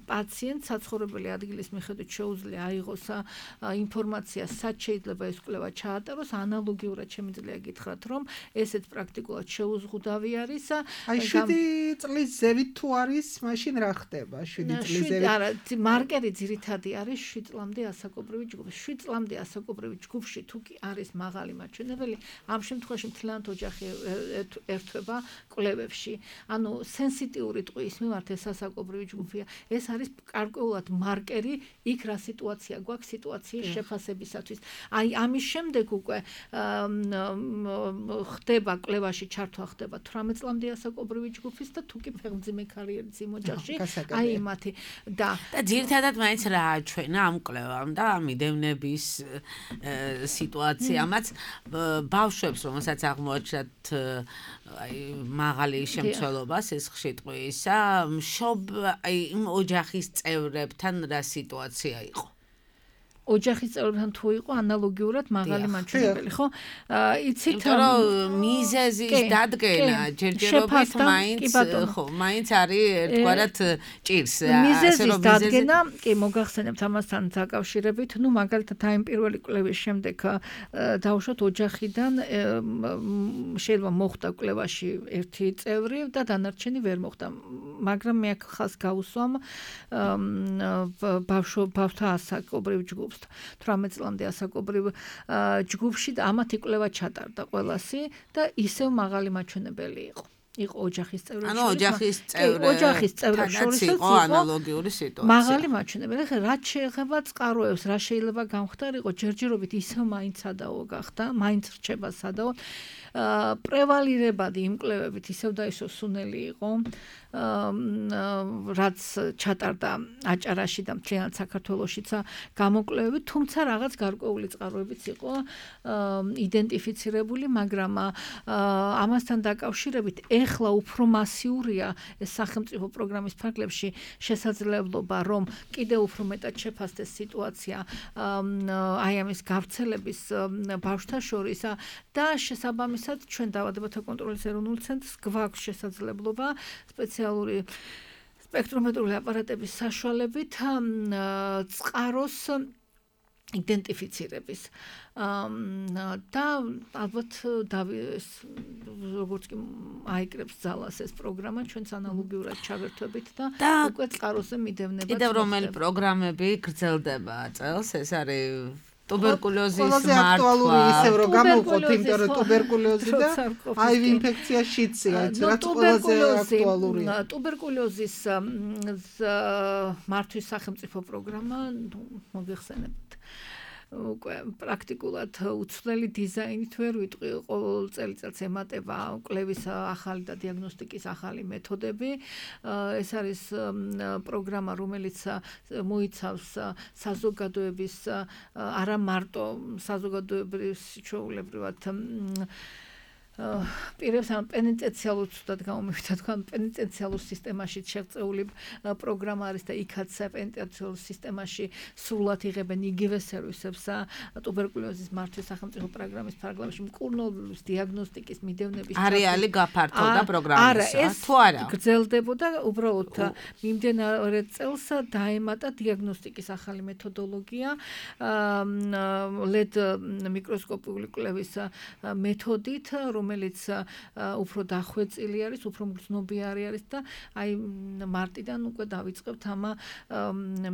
პაციენტს საცხოვრებელი ადგილის მიხედვით შეუძლია აიღოს ინფორმაცია, სად შეიძლება ეს კვლევა ჩაატაროს. ანალოგიურად შემიძლია გითხრათ, რომ ესეც პრაქტიკულად შეუზღუდავი არის. აი შვიდი წლის ზევით თუ არის, მაშინ რა ხდება? შვიდი წლის ზევით. არა, მარკერი ძირითადი არის შვიდ წლამდე ასაკობრივი ჯგუფი. შვიდ წლამდე ასაკობრივი ჯგუფში თუ კი არის მაღალი მაჩვენებელი, ამ შემთხვევაში მთლიანად ოჯახი ერთვება კვლევებში. ანუ სენსიტიური ტყუის მიმართ ეს ასაკობრივი ჯგუფია. ეს არის გარკვეულად მარკერი იქ რა სიტუაცია გვაქვს სიტუაციის შეფასებისათვის. აი ამის შემდეგ უკვე ხდება კვლევაში ჩართვა ხდება თვრამეტ წლამდე ასაკობრივი ჯგუფის და თუ კი ფეხმძიმე კარიერის იმ ოჯახში, აი მათი და და ძირითადად მაინც რა აჩვენა ამ კვლევამ და მიდევნების სიტუაციამაც ბავშვებს, რომელსაც აღმოაჩნდათ აი მაღალი შემცველობა სისხლში ტყუისა, მშობ აი იმ ოჯახის წევრებთან რა სიტუაცია იყო? ოჯახის წევრებთან თუ იყო ანალოგიურად მაღალი მაჩვენებელი, ხო? იცით რომ მიზეზის დადგენა ჯერჯერობით მაინც ხო, მაინც არის ერთგვარად ჭირს. მიზეზის დადგენა, კი მოგახსენებთ ამასთან დაკავშირებით, ну მაგალითად აი პირველი კვლევის შემდეგ დავუშვათ ოჯახიდან შეიძლება მოხდა კვლევაში ერთი წევრი და დანარჩენი ვერ მოხდა. მაგრამ მე აქ ხას გავუსვამ ბავშვ ბავშვთა ასაკობრივ ჯგუფს. თვრამეტ წლამდე ასაკობრივ ჯგუფში და ამათი კვლევა ჩატარდა ყველასი და ისევ მაღალი მაჩვენებელი იყო. იყო ოჯახის წევრებს შორის. ანუ ოჯახის წევრები ოჯახის წევრებს შორის იყო ანალოგიური სიტუაცია. მაღალი მაჩვენებელი. ხა რაც შეეხება წყაროებს, რა შეიძლება გამხდარიყო, ჯერჯერობით ისევ მაინც სადაო გახდა, მაინც რჩება სადაო. პრევალირებადი იმ კვლევებით ისევ და ისო სუნელი იყო. რაც ჩატარდა აჭარაში და მთლიანად საქართველოშიც გამოკვლევები, თუმცა რაღაც გარკვეული წყაროებიც იყო იდენტიფიცირებული, მაგრამ ამასთან დაკავშირებით ეხლა უფრო მასიურია ეს სახელმწიფო პროგრამის ფარგლებში შესაძლებლობა, რომ კიდევ უფრო მეტად შეფასდეს სიტუაცია აი ამის გავრცელების ბავშვთა შორის და შესაბამისად ჩვენ დაავადებათა კონტროლის ეროვნულ ცენტრს გვაქვს შესაძლებლობა სპეციალური სპექტრომეტრული აპარატების საშუალებით წყაროს იდენტიფიცირების და ალბათ დავიეს როგორც კი აიკრებს ძალას ეს პროგრამა ჩვენს ანალოგიურად ჩავერთვებით და უკვე წყაროზე მიდევნებაც კიდევ რომელი პროგრამები გრძელდება წელს ეს არის ტუბერკულოზის მართვა. აქტუალური ისევ რომ გამოვყოთ, იმიტომ რომ ტუბერკულოზი და აივ ინფექცია შიცია, რაც ყველაზე აქტუალურია. ტუბერკულოზის მართვის სახელმწიფო პროგრამა, მოგეხსენებთ. უკვე პრაქტიკულად უცვლელი დიზაინით ვერ ვიტყვი, ყოველ წელიწადს ემატება კვლევის ახალი და დიაგნოსტიკის ახალი მეთოდები. ეს არის პროგრამა, რომელიც მოიცავს საზოგადოების არა მარტო საზოგადოების ჩვეულებრივად პირებს ან პენიტენციალურ ცუდად გამომივიდა თქვა პენიტენციალურ სისტემაში შეღწეული პროგრამა არის და იქაც პენიტენციალურ სისტემაში სრულად იღებენ იგივე სერვისებს ტუბერკულოზის მართვის სახელმწიფო პროგრამის ფარგლებში მკურნალობის დიაგნოსტიკის მიდევნების არეალი გაფართოვდა პროგრამისა თუ არა გრძელდებოდა უბრალოდ მიმდინარე წელს დაემატა დიაგნოსტიკის ახალი მეთოდოლოგია ლედ მიკროსკოპული კვლევის მეთოდით რომელიც უფრო დახვეწილი არის, უფრო მგრძნობიარე არის და აი მარტიდან უკვე დავიწყებთ ამ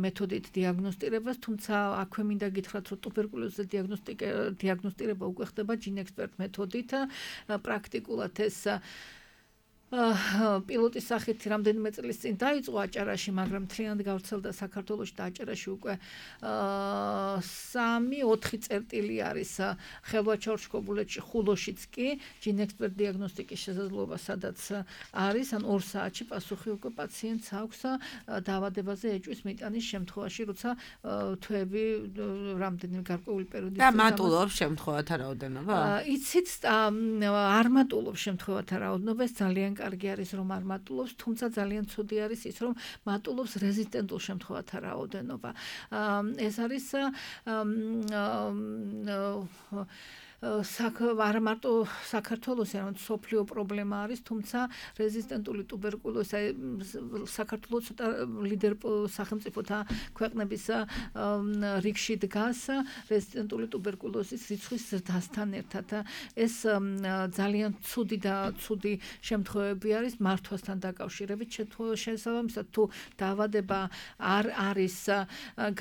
მეთოდით დიაგნოსტირებას, თუმცა აქვე მინდა გითხრათ, რომ ტუბერკულოზის დიაგნოსტირება უკვე ხდება ჯინექსპერტ მეთოდით, პრაქტიკულად ეს პილოტის სახით რამდენიმე წლის წინ დაიწყო აჭარაში, მაგრამ მთლიანად გავრცელდა საქართველოში და აჭარაში უკვე სამი ოთხი წერტილი არის ხელვაჩაურშკობულეთში, ხულოშიც კი ჯინექსპერტ დიაგნოსტიკის შესაძლებლობა სადაც არის, ან ორ საათში პასუხი უკვე პაციენტს აქვს დაავადებაზე ეჭვის მიტანის შემთხვევაში, როცა თვეები რამდენიმე გარკვეული პერიოდის და მატულობს შემთხვევათა რაოდენობა? იცით, არ მატულობს შემთხვევათა რაოდენობა, ეს ძალიან კარგი არის რომ არ მატულობს, თუმცა ძალიან ცუდი არის ის რომ მატულობს რეზისტენტულ შემთხვევათა რაოდენობა. ეს არის არა მარტო საქართველოს, არამედ მსოფლიო პრობლემა არის, თუმცა რეზისტენტული ტუბერკულოზი საქართველოს ცოტა ლიდერ სახელმწიფოთა ქვეყნების რიგში დგას რეზისტენტული ტუბერკულოზის რიცხვის ზრდასთან ერთად. ეს ძალიან ცუდი და ცუდი შემთხვევები არის მართვასთან დაკავშირებით, შესაბამისად თუ დაავადება არ არის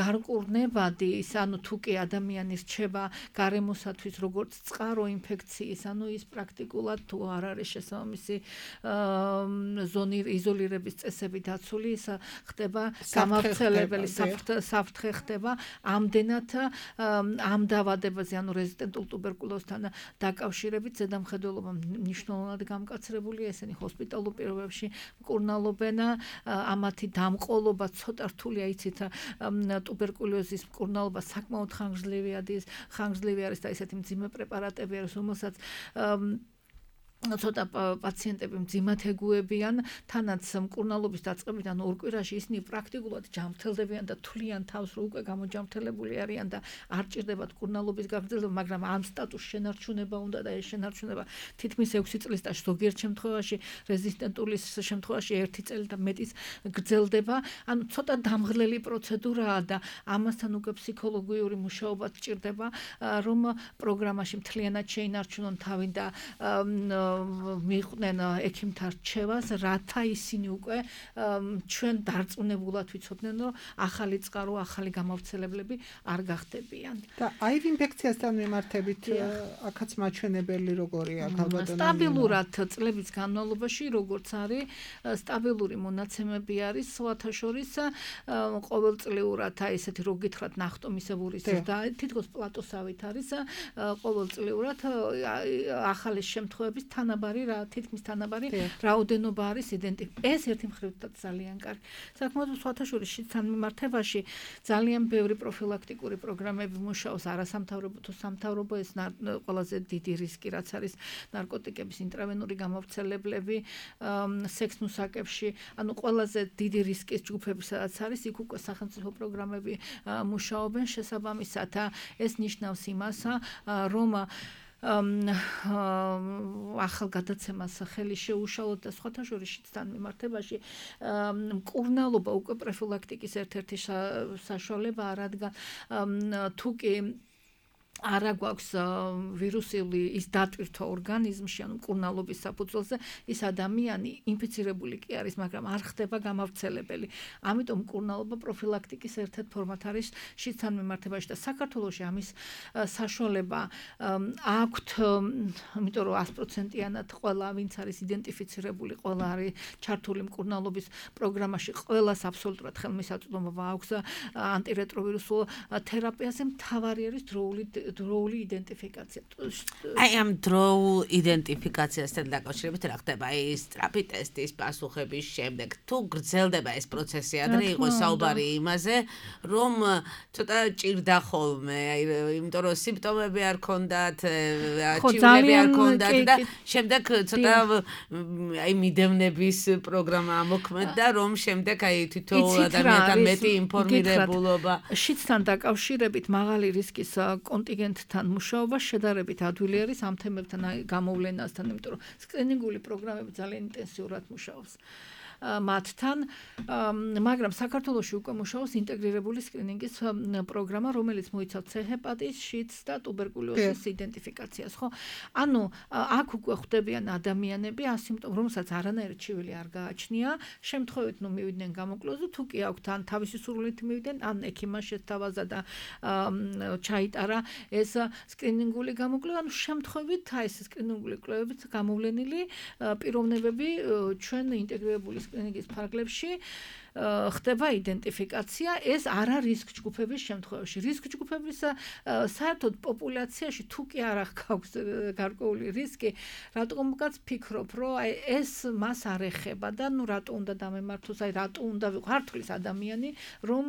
გარყურნებადი, ის ანუ თუ კი ადამიანი რჩება გარემოსათვის როგორც წყარო ინფექციის, ანუ ის პრაქტიკულად თუ არ არის შესაბამისი ზონი იზოლირების წესები დაცული, ის ხდება გამავრცელებელი საფრთხე ხდება ამდენად ამ დაავადებაზე, ანუ რეზისტენტულ ტუბერკულოზთან დაკავშირებით ზედამხედველობა მნიშვნელოვნად გამკაცრებულია, ესენი ჰოსპიტალურ პირობებში მკურნალობენ, ამათი დამყოლობა ცოტა რთულია, იცით, ტუბერკულოზის მკურნალობა საკმაოდ ხანგრძლივი არის, ხანგრძლივი არის და ესეთი მძიმე პრეპარატები არის, რომელსაც ცოტა პაციენტები მძიმად ეგუებიან, თანაც მკურნალობის დაწყებიდან ორ კვირაში ისინი პრაქტიკულად ჯანმრთელდებიან და თვლიან თავს, რომ უკვე გამოჯანმრთელებული არიან და არ ჭირდებათ მკურნალობის გაგრძელება, მაგრამ ამ სტატუსს შენარჩუნება უნდა და ეს შენარჩუნება თითქმის ექვსი წლის და ზოგიერთ შემთხვევაში რეზისტენტული შემთხვევაში ერთი წელი და მეტის გრძელდება. ანუ ცოტა დამღლელი პროცედურაა და ამასთან უკვე ფსიქოლოგიური მუშაობა ჭირდება, რომ პროგრამაში მთლიანად შეინარჩუნონ თავი და მიყვნენ ექიმთა რჩევას, რათა ისინი უკვე ჩვენ დარწმუნებულად ვიცოდნენ, რომ ახალი წყარო, ახალი გამავრცელებლები არ გახდებიან. და აივ ინფექციასთან მიმართებით აქაც მაჩვენებელი როგორია ქალბატონო? სტაბილურად წლების განმავლობაში, როგორც არის, სტაბილური მონაცემები არის, სხვათა შორის ყოველწლიურად, აი ესეთი რო გითხრათ ნახტომისებურის და თითქოს პლატოსავით არის, ყოველწლიურად ახალი შემთხვევების თანაბარი რა თითქმის თანაბარი რაოდენობა არის იდენტიფიცირებული. ეს ერთი მხრიდან ძალიან კარგი. საკმაოდ სხვათა შორის შიდთან მიმართებაში ძალიან ბევრი პროფილაქტიკური პროგრამები მუშაობს, არასამთავრობო თუ სამთავრობო, ეს ყველაზე დიდი რისკი რაც არის ნარკოტიკების ინტრავენური გამავრცელებლები სექსნუსაკებში, ანუ ყველაზე დიდი რისკის ჯგუფები სადაც არის, იქ უკვე სახელმწიფო პროგრამები მუშაობენ შესაბამისად. ეს ნიშნავს იმას, რომ ახალგადაცემას ხელი შეუშალოთ და სხვათა შორის შიდთან მიმართებაში მკურნალობა უკვე პროფილაქტიკის ერთ-ერთი საშუალებაა, რადგან თუ კი არა გვაქვს ვირუსული ის დატვირთვა ორგანიზმში, ანუ მკურნალობის საფუძველზე, ის ადამიანი ინფიცირებული კი არის, მაგრამ არ ხდება გამავრცელებელი. ამიტომ მკურნალობა პროფილაქტიკის ერთ-ერთ ფორმად არის შიდთან მიმართებაში და საქართველოში ამის საშუალება აქვთ, იმიტომ რომ sto პროცენტიანად ყველა, ვინც არის იდენტიფიცირებული, ყველა არის ჩართული მკურნალობის პროგრამაში, ყველას აბსოლუტურად ხელმისაწვდომობა აქვს ანტირეტროვირუსულ თერაპიაზე, მთავარი არის დროული დროული იდენტიფიკაცია. აი ამ დროულ იდენტიფიკაციასთან დაკავშირებით რა ხდება? აი სწრაფი ტესტის პასუხების შემდეგ თუ გრძელდება ეს პროცესი, ადრე იყო საუბარი იმაზე, რომ ცოტა ჭირდა ხოლმე, აი იმიტომ რომ სიმპტომები არ ქონდათ, ჭირულები არ ქონდათ და შემდეგ ცოტა აი მიდევნების პროგრამა მოქმედდა, რომ შემდეგ აი თითოეულ ადამიანთან მეტი ინფორმირებულობა. შიდთან დაკავშირებით მაღალი რისკის კონტინგენტთან მუშაობა შედარებით ადვილი არის ამ თემებთან გამოვლენასთან, იმიტომ რომ სკრინინგული პროგრამები ძალიან ინტენსიურად მუშაობს მათთან, მაგრამ საქართველოში უკვე მუშაობს ინტეგრირებული სკრინინგის პროგრამა, რომელიც მოიცავს C ჰეპატიტის, შიდს და ტუბერკულოზის იდენტიფიკაციას, ხო? ანუ აქ უკვე ხვდებიან ადამიანები ასიმპტომ, რომელსაც არანაირი ჩივილი არ გააჩნია, შემთხვევით ნუ მივიდნენ გამოკლოზზე, თუ კი აქვთ ან თავისი სურვილით მივიდნენ, ან ექიმმა შეთავაზა და ჩაიტარა ეს სკრინინგული გამოკვლევა, ანუ შემთხვევით აი ეს სკრინინგული კვლევებით გამოვლენილი პიროვნებები ჩვენ ინტეგრირებული სკრინინგის ფარგლებში ხდება იდენტიფიკაცია, ეს არა რისკ ჯგუფების შემთხვევაში. რისკ ჯგუფების საერთოდ პოპულაციაში თუ კი არ აქვს გარკვეული რისკი, რატომღაც ფიქრობ, რომ აი ეს მას არ ეხება და ნუ რატო უნდა დამემართოს, აი რატო უნდა ვიყართლის ადამიანი, რომ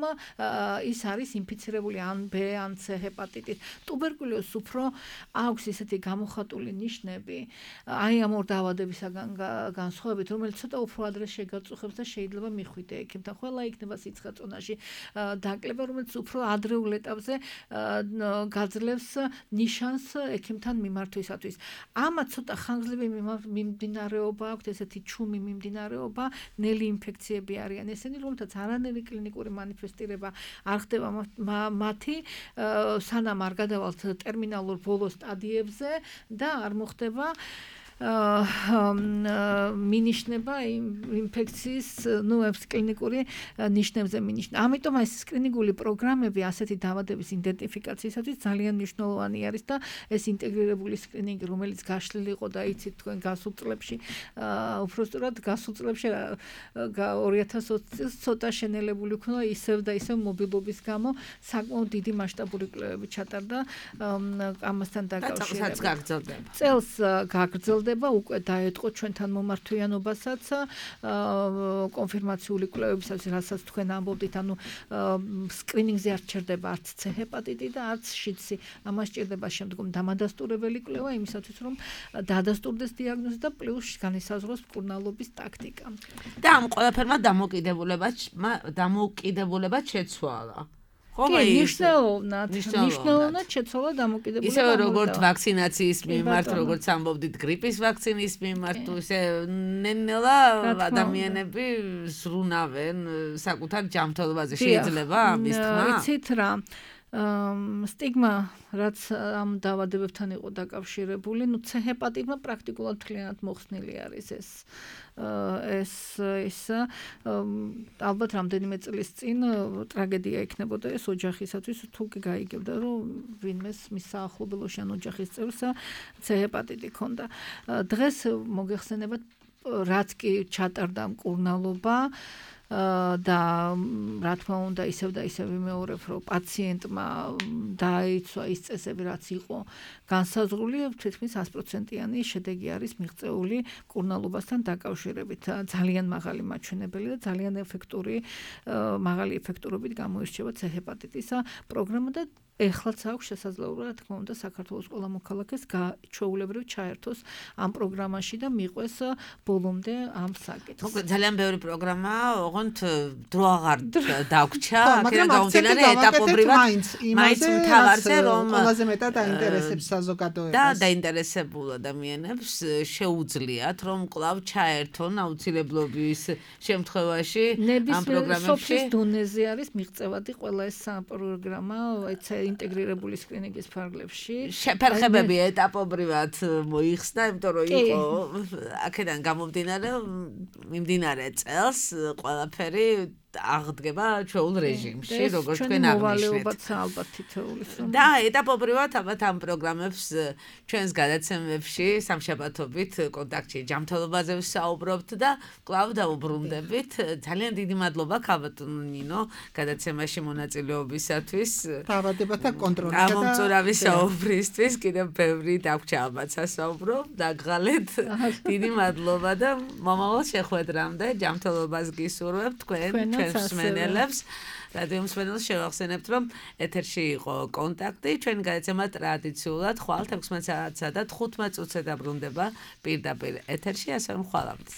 ის არის ინფიცირებული ან B, ან C ჰეპატიტით. ტუბერკულოზს უფრო აქვს ისეთი გამოხატული ნიშნები, აი ამ ორ დაავადებისაგან განსხვავებით, რომელიც ცოტა უფრო ადრე შეგაწუხებს და შეიძლება მიხვიდე ექიმთან, ყველა იქნება სიცხაწონაში დაკლება, რომელიც უფრო ადრეულ ეტაპზე გაძლევს ნიშანს ექიმთან მიმართვისათვის. ამათ ცოტა ხანგრძლივი მიმდინარეობა აქვს, ესეთი ჩუმი მიმდინარეობა, ნელი ინფექციები არიან ესენი, რომელთაც არანაირი კლინიკური მანიფესტირება არ ხდება მათი, სანამ არ გადავალთ ტერმინალურ ბოლო სტადიებზე და არ მოხდება მინიშნება ინფექციის, ნუ ეს კლინიკური ნიშნებზე მინიშნება. ამიტომ ეს სკრინინგული პროგრამები ასეთი დაავადების იდენტიფიკაციისათვის ძალიან მნიშვნელოვანი არის და ეს ინტეგრირებული სკრინინგი, რომელიც გაშლილი იყო და იცით თქვენ გასულ წლებში, უბრალოდ გასულ წლებში ორი ათას ოცი წელს ცოტა შენელებული იქნა ისევ და ისევ მობილობის გამო საკმაოდ დიდი მასშტაბური კვლევები ჩატარდა ამასთან დაკავშირებით. წელს გაგრძელდა უკვე დაეთყო ჩვენთან მომართვიანობასაც კონფირმაციული კვლევებისაც, რასაც თქვენ ამბობდით, ანუ სკრინინგზე არ ჩერდება არც C ჰეპატიტი და არც შიდსი. ამას ჭირდება შემდგომ დამადასტურებელი კვლევა იმისათვის, რომ დადასტურდეს დიაგნოზი და პლუს განისაზღვროს მკურნალობის ტაქტიკა. და ამ ყველაფერმა დამოკიდებულება დამოკიდებულება შეცვალა. ნიშნულოვნად, ნიშნულოვნად შეცვალა დამოკიდებულება. ისე როგორც ვაქცინაციის მიმართ, როგორც ამბობდით გრიპის ვაქცინის მიმართ, ისე ნელა ადამიანები ზრუნავენ საკუთარ ჯანმრთელობაზე. შეიძლება ამის თქმა? იცით რა, სტიგმა რაც ამ დაავადებებთან იყო დაკავშირებული, ნუ C ჰეპატიტმა პრაქტიკულად მთლიანად მოხსნილი არის ეს ეს ის ალბათ რამდენიმე წლის წინ ტრაგედია იქნებოდა ეს ოჯახისათვის, თუ კი გაიგებდა, რომ ვინმეს მის საახლობელოში ან ოჯახის წევრს C ჰეპატიტი ჰქონდა. დღეს მოგეხსენებათ, რაც კი ჩატარდა მკურნალობა და რა თქმა უნდა ისევ და ისევ ვიმეორებ, რომ პაციენტმა დაიცვა ის წესები, რაც იყო განსაზღვრული, თითქმის sto პროცენტიანი შედეგი არის მიღწეული მკურნალობასთან დაკავშირებით. ძალიან მაღალი მაჩვენებელი და ძალიან ეფექტური, მაღალი ეფექტურობით გამოირჩევა C ჰეპატიტის პროგრამა და ეხლაც აქვს შესაძლებლობა, რა თქმა უნდა, საქართველოს ყველა მოქალაქეს ჩვეულებრივ ჩაერთოს ამ პროგრამაში და მიყვეს ბოლომდე ამ საკითხს. მოკლედ ძალიან ბევრი პროგრამაა, ოღონდ დრო აღარ დაგვრჩა, აქედან გამომდინარე ეტაპობრივად მაინც მთავარზე რომ ყველაზე მეტად დაინტერესებს საზოგადოებას და დაინტერესებულ ადამიანებს შეუძლიათ რომ კვლავ ჩაერთონ აუცილებლობის შემთხვევაში ამ პროგრამებში. სოფლის დონეზე არის მიღწევადი ყველა ეს პროგრამა, ეცა ინტეგრირებული სკრინინგის ფარგლებში. შეფერხებები ეტაპობრივად მოიხსნა, იმიტომ რომ იყო აქედან გამომდინარე მიმდინარე წელს ყველაფერი აღდგება ჩვეულ რეჟიმში, როგორც თქვენ აღნიშნეთ. ალბათ თითოეულის. და ეტაპობრივად ალბათ ამ პროგრამებს ჩვენს გადაცემებში სამშაბათობით კონტაქტში ჯანმრთელობაზე ვსაუბრობთ და კვლავ დავუბრუნდებით. ძალიან დიდი მადლობა ქალბატონო ნინო გადაცემაში მონაწილეობისათვის. დაავადებათა კონტროლისა და ამომწურავი საუბრისთვის კიდევ ბევრი დაგვრჩა ალბათ სასაუბრო დაგღალეთ. დიდი მადლობა და მომავალ შეხვედრამდე ჯანმრთელობას გისურვებთ თქვენ მსმენელებს. რადიო მსმენელს შევახსენებთ, რომ ეთერში იყო კონტაქტი. ჩვენი გადაცემა ტრადიციულად ხვალ თექვსმეტ საათსა და თხუთმეტ წუთზე დაბრუნდება პირდაპირ ეთერში, ასე რომ ხვალამდე.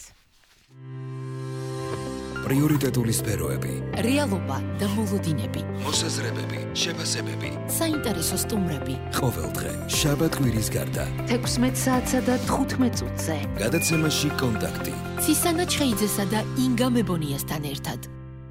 პრიორიტეტული სფეროები, რეალობა და მოლოდინები, მოსაზრებები, შეფასებები, საინტერესო სტუმრები. ყოველდღე შაბათ-კვირის გარდა თექვსმეტ საათსა და თხუთმეტ წუთზე. გადაცემაში კონტაქტი. ცისანა ჩხეიძესა და ინგა მებონიასთან ერთად.